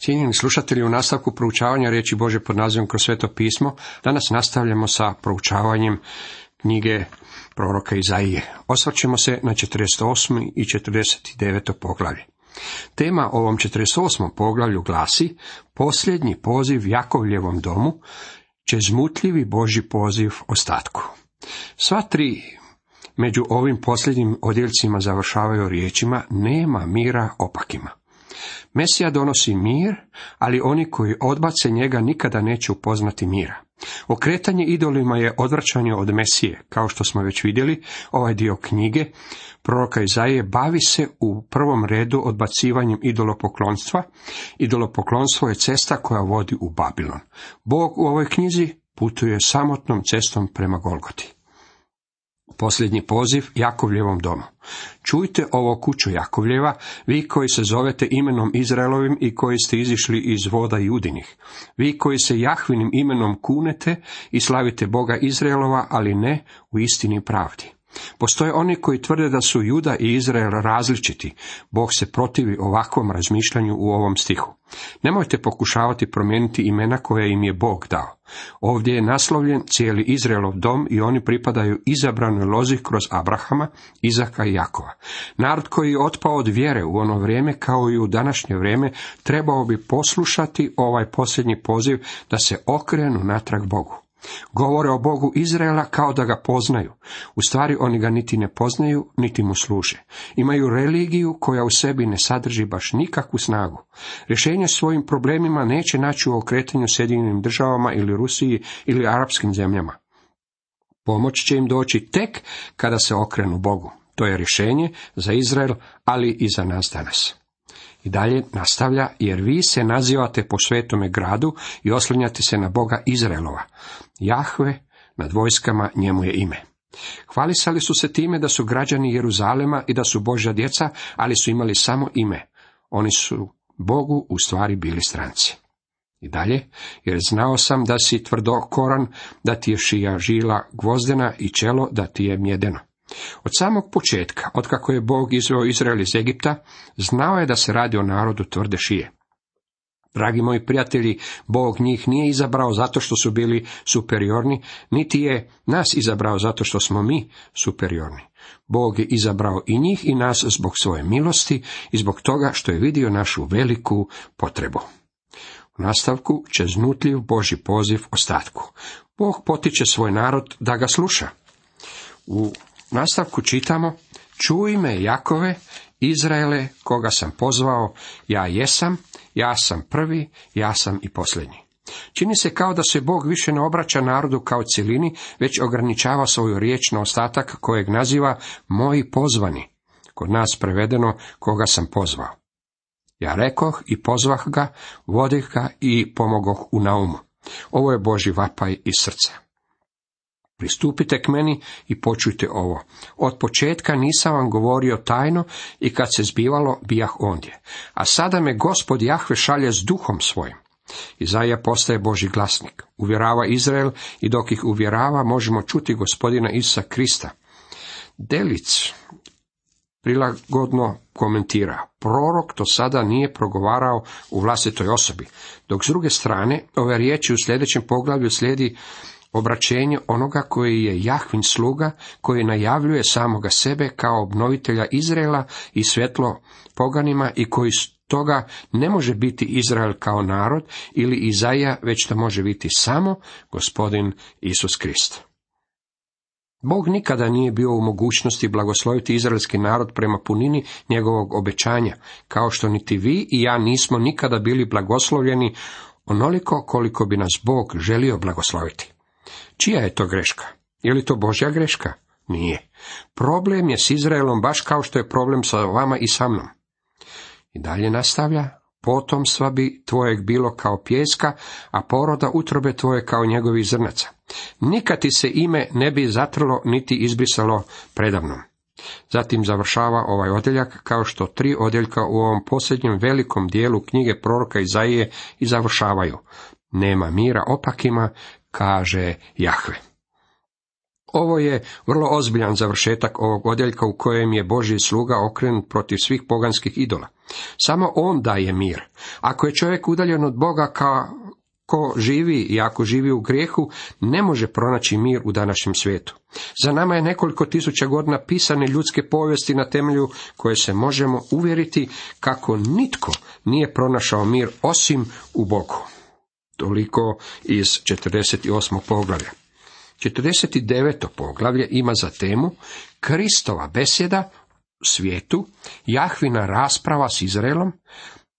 Cijenjeni slušatelji, u nastavku proučavanja riječi Božje pod nazivom Kroz sveto pismo, danas nastavljamo sa proučavanjem knjige proroka Izaije. Osvrćemo se na 48. i 49. poglavlje. Tema ovom 48. poglavlju glasi: posljednji poziv Jakovljevom domu, čezmutljivi Božji poziv ostatku. Sva tri među ovim posljednjim odjeljcima završavaju riječima: nema mira opakima. Mesija donosi mir, ali oni koji odbace njega nikada neće upoznati mira. Okretanje idolima je odvraćanje od Mesije. Kao što smo već vidjeli, ovaj dio knjige proroka Izaije bavi se u prvom redu odbacivanjem idolopoklonstva. Idolopoklonstvo je cesta koja vodi u Babilon. Bog u ovoj knjizi putuje samotnom cestom prema Golgoti. Posljednji poziv Jakovljevom domu. Čujte ovo, kućo Jakovljeva, vi koji se zovete imenom Izraelovim i koji ste izišli iz voda Judinih. Vi koji se Jahvinim imenom kunete i slavite Boga Izraelova, ali ne u istini i pravdi. Postoje oni koji tvrde da su Juda i Izrael različiti. Bog se protivi ovakvom razmišljanju u ovom stihu. Nemojte pokušavati promijeniti imena koje im je Bog dao. Ovdje je naslovljen cijeli Izraelov dom i oni pripadaju izabranoj lozi kroz Abrahama, Izaka i Jakova. Narod koji je otpao od vjere u ono vrijeme kao i u današnje vrijeme trebao bi poslušati ovaj posljednji poziv da se okrenu natrag Bogu. Govore o Bogu Izraela kao da ga poznaju. U stvari oni ga niti ne poznaju, niti mu služe. Imaju religiju koja u sebi ne sadrži baš nikakvu snagu. Rješenje svojim problemima neće naći u okretanju Sjedinjenim državama ili Rusiji ili arapskim zemljama. Pomoć će im doći tek kada se okrenu Bogu. To je rješenje za Izrael, ali i za nas danas. I dalje nastavlja: jer vi se nazivate po svetome gradu i oslanjate se na Boga Izraelova. Jahve nad vojskama, njemu je ime. Hvalisali su se time da su građani Jeruzalema i da su Božja djeca, ali su imali samo ime. Oni su Bogu u stvari bili stranci. I dalje: jer znao sam da si tvrdokoran, da ti je šija žila gvozdena i čelo da ti je mjedeno. Od samog početka, otkako je Bog izveo Izrael iz Egipta, znao je da se radi o narodu tvrde šije. Dragi moji prijatelji, Bog njih nije izabrao zato što su bili superiorni, niti je nas izabrao zato što smo mi superiorni. Bog je izabrao i njih i nas zbog svoje milosti i zbog toga što je vidio našu veliku potrebu. U nastavku čeznutljiv Božji poziv ostatku. Bog potiče svoj narod da ga sluša. U nastavku čitamo: čuj me, Jakove, Izraele, koga sam pozvao, ja sam prvi, ja sam i posljednji. Čini se kao da se Bog više ne obraća narodu kao cjelini, već ograničava svoju riječ na ostatak kojeg naziva moji pozvani. Kod nas prevedeno koga sam pozvao. Ja rekoh i pozvah ga, vodih ga i pomogoh u naumu. Ovo je Božji vapaj iz srca. Pristupite k meni i počujte ovo. Od početka nisam vam govorio tajno i kad se zbivalo, bijah ondje. A sada me Gospod Jahve šalje s duhom svojim. Izaija postaje Božji glasnik. Uvjerava Izrael i dok ih uvjerava možemo čuti Gospodina Isusa Krista. Delic prilagodno komentira: prorok to sada nije progovarao u vlastitoj osobi, dok s druge strane ove riječi u sljedećem poglavlju slijedi obraćenje onoga koji je Jahvin sluga, koji najavljuje samoga sebe kao obnovitelja Izraela i svjetlo poganima i koji stoga ne može biti Izrael kao narod ili Izaija, već to može biti samo Gospodin Isus Krist. Bog nikada nije bio u mogućnosti blagosloviti izraelski narod prema punini njegovog obećanja, kao što niti vi i ja nismo nikada bili blagoslovljeni onoliko koliko bi nas Bog želio blagosloviti. Čija je to greška? Je li to Božja greška? Nije. Problem je s Izraelom baš kao što je problem sa vama i sa mnom. I dalje nastavlja: potomstva bi tvojeg bilo kao pijeska, a poroda utrobe tvoje kao njegovih zrnaca. Nikad ti se ime ne bi zatrlo niti izbrisalo predamnom. Zatim završava ovaj odjeljak kao što 3 odjeljka u ovom posljednjem velikom dijelu knjige proroka Izaije i završavaju: nema mira opakima, kaže Jahve. Ovo je vrlo ozbiljan završetak ovog odjeljka u kojem je Božji sluga okrenut protiv svih poganskih idola. Samo on daje mir. Ako je čovjek udaljen od Boga kako živi i ako živi u grijehu, ne može pronaći mir u današnjem svijetu. Za nama je nekoliko tisuća godina pisane ljudske povijesti na temelju koje se možemo uvjeriti kako nitko nije pronašao mir osim u Bogu. Toliko iz 48. poglavlja. 49. poglavlje ima za temu Kristova besjeda u svijetu, Jahvina rasprava s Izraelom,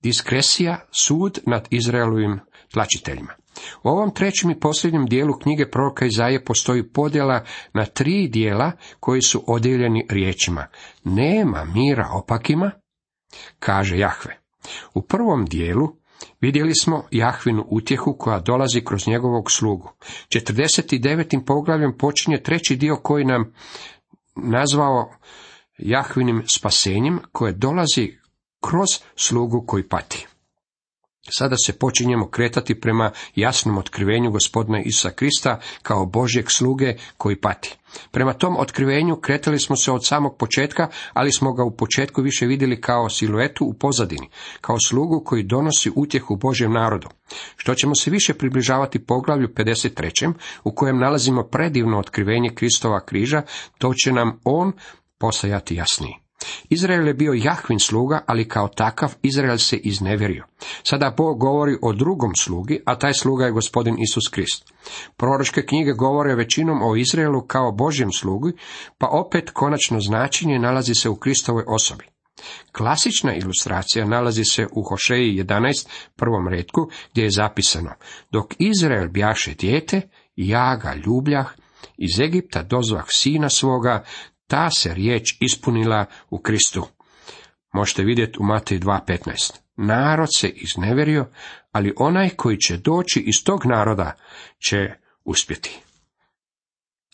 diskresija, sud nad Izraelovim tlačiteljima. U ovom trećem i posljednjem dijelu knjige proroka Izaije postoji podjela na 3 dijela koji su odijeljeni riječima: nema mira opakima, kaže Jahve. U prvom dijelu vidjeli smo Jahvinu utjehu koja dolazi kroz njegovog slugu. 49. poglavljem počinje treći dio koji nam nazvao Jahvinim spasenjem, koje dolazi kroz slugu koji pati. Sada se počinjemo kretati prema jasnom otkrivenju Gospodina Isusa Krista kao Božjeg sluge koji pati. Prema tom otkrivenju kretali smo se od samog početka, ali smo ga u početku više vidjeli kao siluetu u pozadini, kao slugu koji donosi utjehu Božjem narodu. Što ćemo se više približavati poglavlju 53. u kojem nalazimo predivno otkrivenje Kristova križa, to će nam on postajati jasniji. Izrael je bio Jahvin sluga, ali kao takav Izrael se iznevjerio. Sada Bog govori o drugom slugi, a taj sluga je Gospodin Isus Krist. Proročke knjige govore većinom o Izraelu kao Božjem slugi, pa opet konačno značenje nalazi se u Kristovoj osobi. Klasična ilustracija nalazi se u Hošeji 11, prvom retku, gdje je zapisano: dok Izrael bjaše dijete, ja ga ljubljah, iz Egipta dozvah sina svoga, ta se riječ ispunila u Kristu. Možete vidjeti u Mateju 2.15. Narod se iznevjerio, ali onaj koji će doći iz tog naroda će uspjeti.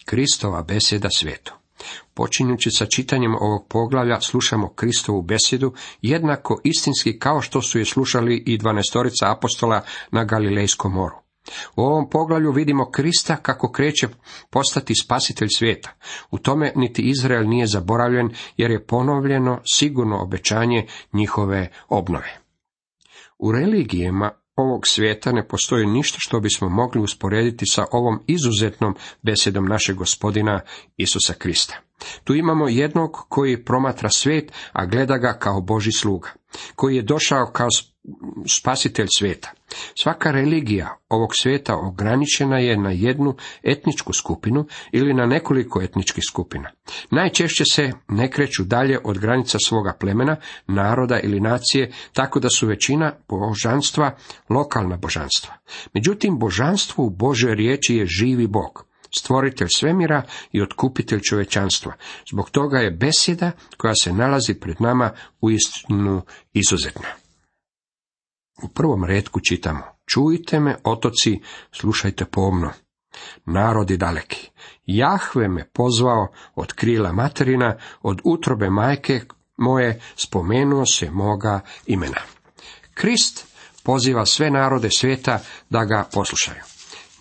Kristova besjeda svijetu. Počinjući sa čitanjem ovog poglavlja, slušamo Kristovu besjedu jednako istinski kao što su je slušali i 12 apostola na Galilejskom moru. U ovom poglavlju vidimo Krista kako kreće postati spasitelj svijeta. U tome niti Izrael nije zaboravljen, jer je ponovljeno sigurno obećanje njihove obnove. U religijama ovog svijeta ne postoji ništa što bismo mogli usporediti sa ovom izuzetnom besjedom našeg Gospodina Isusa Krista. Tu imamo jednog koji promatra svijet, a gleda ga kao Božji sluga, koji je došao kao spasitelj svijeta. Svaka religija ovog svijeta ograničena je na jednu etničku skupinu ili na nekoliko etničkih skupina. Najčešće se ne kreću dalje od granica svoga plemena, naroda ili nacije, tako da su većina božanstva lokalna božanstva. Međutim, božanstvo u Božoj riječi je živi Bog, stvoritelj svemira i otkupitelj čovječanstva. Zbog toga je besjeda koja se nalazi pred nama uistinu izuzetna. U prvom retku čitamo: čujte me, otoci, slušajte pomno, narodi daleki. Jahve me pozvao od krila materina, od utrobe majke moje spomenuo se moga imena. Krist poziva sve narode svijeta da ga poslušaju.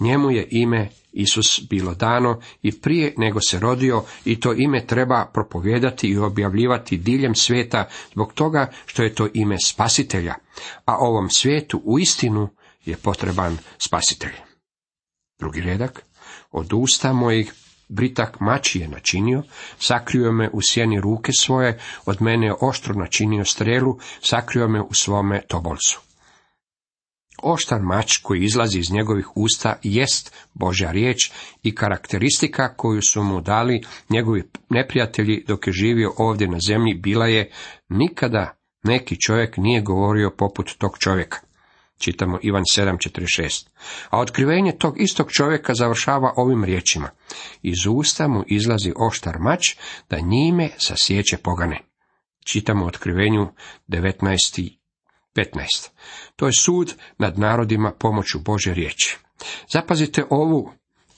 Njemu je ime Isus bilo dano i prije nego se rodio, i to ime treba propovijedati i objavljivati diljem svijeta zbog toga što je to ime spasitelja, a ovom svijetu uistinu je potreban spasitelj. Drugi redak: od usta mojih britak mač je načinio, sakrio me u sjeni ruke svoje, od mene je oštro načinio strelu, sakrio me u svome tobolcu. Oštar mač koji izlazi iz njegovih usta jest Božja riječ i karakteristika koju su mu dali njegovi neprijatelji dok je živio ovdje na zemlji bila je: nikada neki čovjek nije govorio poput tog čovjeka. Čitamo Ivan 7.46. A otkrivenje tog istog čovjeka završava ovim riječima: iz usta mu izlazi oštar mač da njime sasjeće pogane. Čitamo u Otkrivenju 19.15. To je sud nad narodima pomoću Božje riječi. Zapazite ovu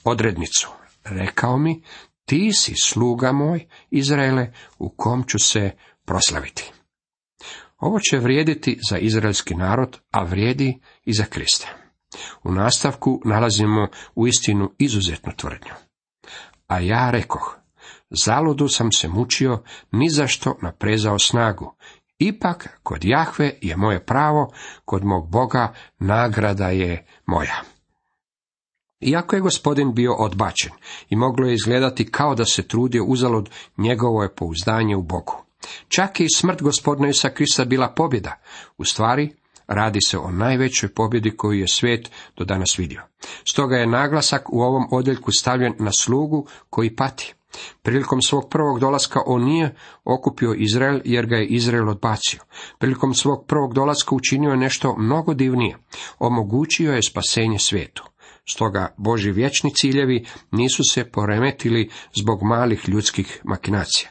odrednicu. Rekao mi: ti si sluga moj, Izraele, u kom ću se proslaviti. Ovo će vrijediti za izraelski narod, a vrijedi i za Krista. U nastavku nalazimo uistinu izuzetnu tvrdnju. A ja rekoh, zaludu sam se mučio, ni zašto naprezao snagu. Ipak, kod Jahve je moje pravo, kod mog Boga nagrada je moja. Iako je Gospodin bio odbačen i moglo je izgledati kao da se trudio uzalud, njegovo je pouzdanje u Bogu. Čak i smrt Gospodina Isusa Krista bila pobjeda. U stvari, radi se o najvećoj pobjedi koju je svijet do danas vidio. Stoga je naglasak u ovom odjeljku stavljen na slugu koji pati. Prilikom svog prvog dolaska on nije okupio Izrael jer ga je Izrael odbacio. Prilikom svog prvog dolaska učinio je nešto mnogo divnije. Omogućio je spasenje svijetu. Stoga Božji vječni ciljevi nisu se poremetili zbog malih ljudskih makinacija.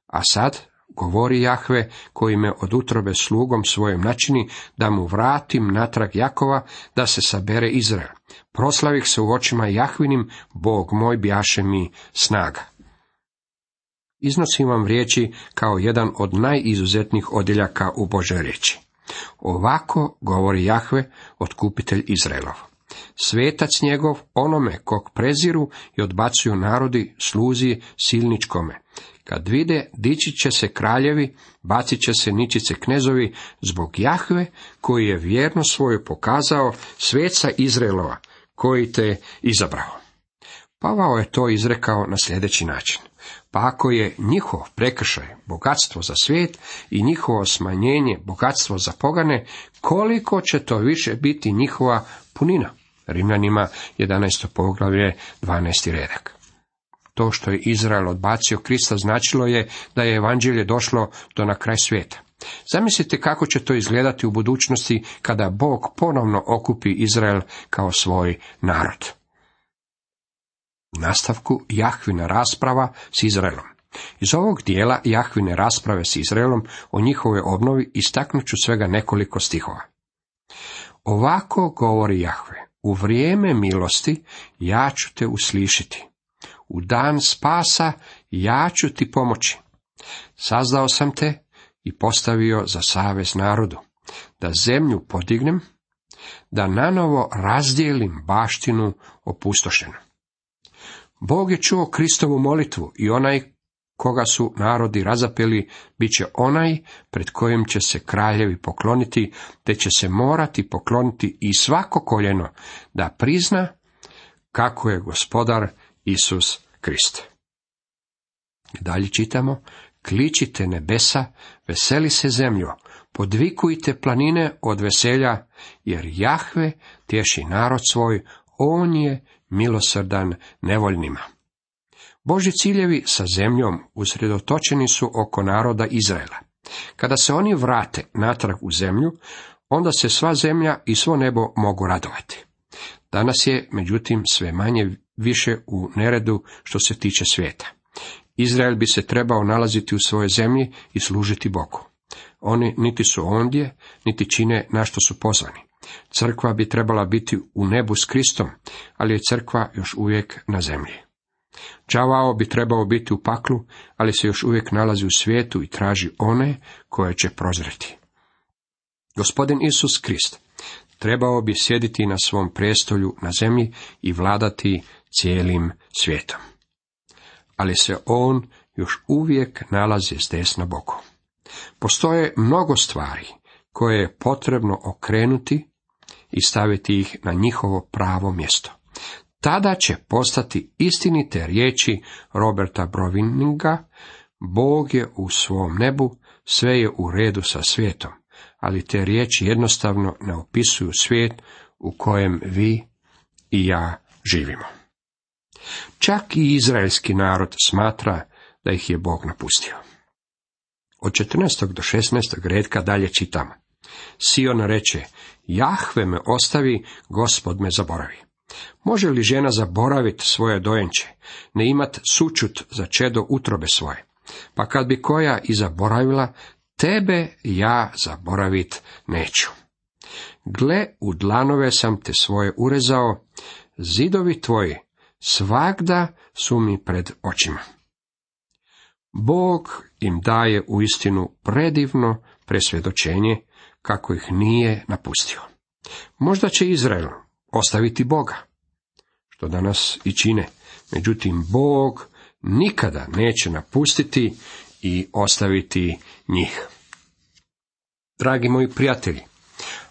A sad govori Jahve, koji me od utrobe slugom svojom načini, da mu vratim natrag Jakova, da se sabere Izrael. Proslavih se u očima Jahvinim, Bog moj bjaše mi snaga. Iznosim vam riječi kao jedan od najizuzetnijih odjeljaka u Božoj riječi. Ovako govori Jahve, otkupitelj Izraelov. Svetac njegov, onome kog preziru i odbacuju narodi, sluzi silničkome. Kad vide, dići će se kraljevi, bacit će se ničice knezovi, zbog Jahve, koji je vjerno svoju pokazao, sveca Izraelova, koji te izabrao. Pavao je to izrekao na sljedeći način. Pa ako je njihov prekršaj bogatstvo za svijet i njihovo smanjenje bogatstvo za pogane, koliko će to više biti njihova punina? Rimljanima 11. poglavlje 12. redak. To što je Izrael odbacio Krista značilo je da je evanđelje došlo do na kraj svijeta. Zamislite kako će to izgledati u budućnosti kada Bog ponovno okupi Izrael kao svoj narod. U nastavku Jahvina rasprava s Izraelom. Iz ovog dijela Jahvine rasprave s Izraelom o njihovoj obnovi istaknut ću svega nekoliko stihova. Ovako govori Jahve, u vrijeme milosti ja ću te uslišiti. U dan spasa ja ću ti pomoći. Sazdao sam te i postavio za savez narodu, da zemlju podignem, da nanovo razdijelim baštinu opustošenu. Bog je čuo Kristovu molitvu i onaj koga su narodi razapeli, bit će onaj pred kojim će se kraljevi pokloniti, te će se morati pokloniti i svako koljeno da prizna kako je Gospodar Isus Krist. Dalje čitamo, kličite nebesa, veseli se zemljo, podvikujte planine od veselja, jer Jahve tješi narod svoj, on je milosrdan nevoljnima. Božji ciljevi sa zemljom usredotočeni su oko naroda Izraela. Kada se oni vrate natrag u zemlju, onda se sva zemlja i svo nebo mogu radovati. Danas je, međutim, sve manje više u neredu što se tiče svijeta. Izrael bi se trebao nalaziti u svojoj zemlji i služiti Bogu. Oni niti su ondje, niti čine na što su pozvani. Crkva bi trebala biti u nebu s Kristom, ali je crkva još uvijek na zemlji. Đavao bi trebao biti u paklu, ali se još uvijek nalazi u svijetu i traži one koje će prozreti. Gospodin Isus Krist trebao bi sjediti na svom prijestolju na zemlji i vladati cijelim svijetom. Ali se on još uvijek nalazi s desna Bogu. Postoje mnogo stvari koje je potrebno okrenuti i staviti ih na njihovo pravo mjesto. Tada će postati istinite riječi Roberta Browininga, Bog je u svom nebu, sve je u redu sa svijetom, ali te riječi jednostavno ne opisuju svijet u kojem vi i ja živimo. Čak i izraelski narod smatra da ih je Bog napustio. Od 14. do 16. redka dalje čitamo. Sion reče, Jahve me ostavi, Gospod me zaboravi. Može li žena zaboraviti svoje dojenče, ne imat sućut za čedo utrobe svoje? Pa kad bi koja i zaboravila, tebe ja zaboravit neću. Gle, u dlanove sam te svoje urezao, zidovi tvoji svagda su mi pred očima. Bog im daje uistinu predivno presvjedočenje kako ih nije napustio. Možda će Izrael ostaviti Boga, što danas i čine, Međutim, Bog nikada neće napustiti i ostaviti njih. Dragi moji prijatelji,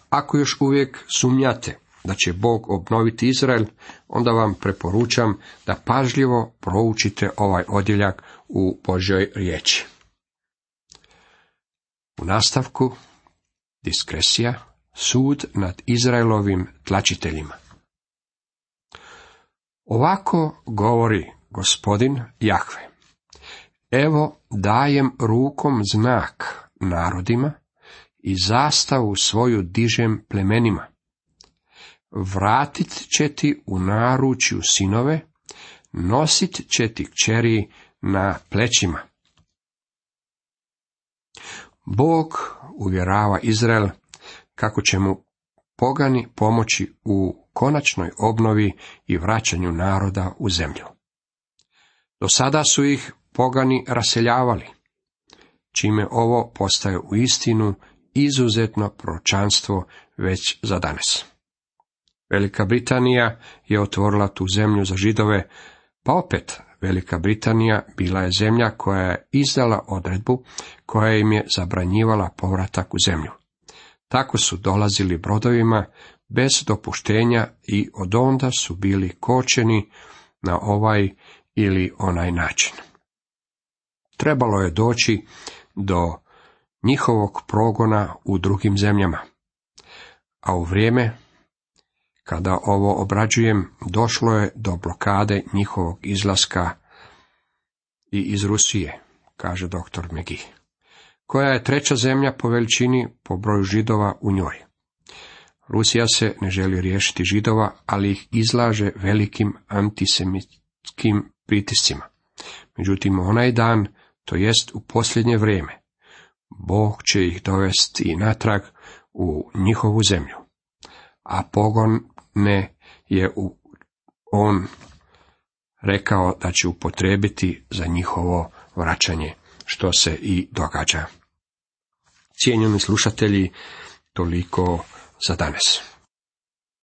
ako još uvijek sumnjate da će Bog obnoviti Izrael, onda vam preporučam da pažljivo proučite ovaj odjeljak u Božjoj riječi. U nastavku diskresija, sud nad Izraelovim tlačiteljima. Ovako govori Gospodin Jahve: evo dajem rukom znak narodima i zastavu svoju dižem plemenima. Vratit će ti u naručju sinove, nosit će ti kćeri na plećima. Bog uvjerava Izrael kako će mu pogani pomoći u konačnoj obnovi i vraćanju naroda u zemlju. Do sada su ih pogani raseljavali, čime ovo postaje uistinu izuzetno proročanstvo već za danas. Velika Britanija je otvorila tu zemlju za Židove, pa opet Velika Britanija bila je zemlja koja je izdala odredbu koja im je zabranjivala povratak u zemlju. Tako su dolazili brodovima bez dopuštenja i odonda su bili kočeni na ovaj ili onaj način. Trebalo je doći do njihovog progona u drugim zemljama, a u vrijeme kada ovo obrađujem, došlo je do blokade njihovog izlaska i iz Rusije, kaže dr. McGee, koja je treća zemlja po veličini po broju Židova u njoj. Rusija se ne želi riješiti Židova, ali ih izlaže velikim antisemitskim pritiscima. Međutim, onaj dan, to jest u posljednje vrijeme, Bog će ih dovesti i natrag u njihovu zemlju, a pogone je on rekao da će upotrijebiti za njihovo vraćanje, što se i događa. Cijenjeni slušatelji, toliko za danas.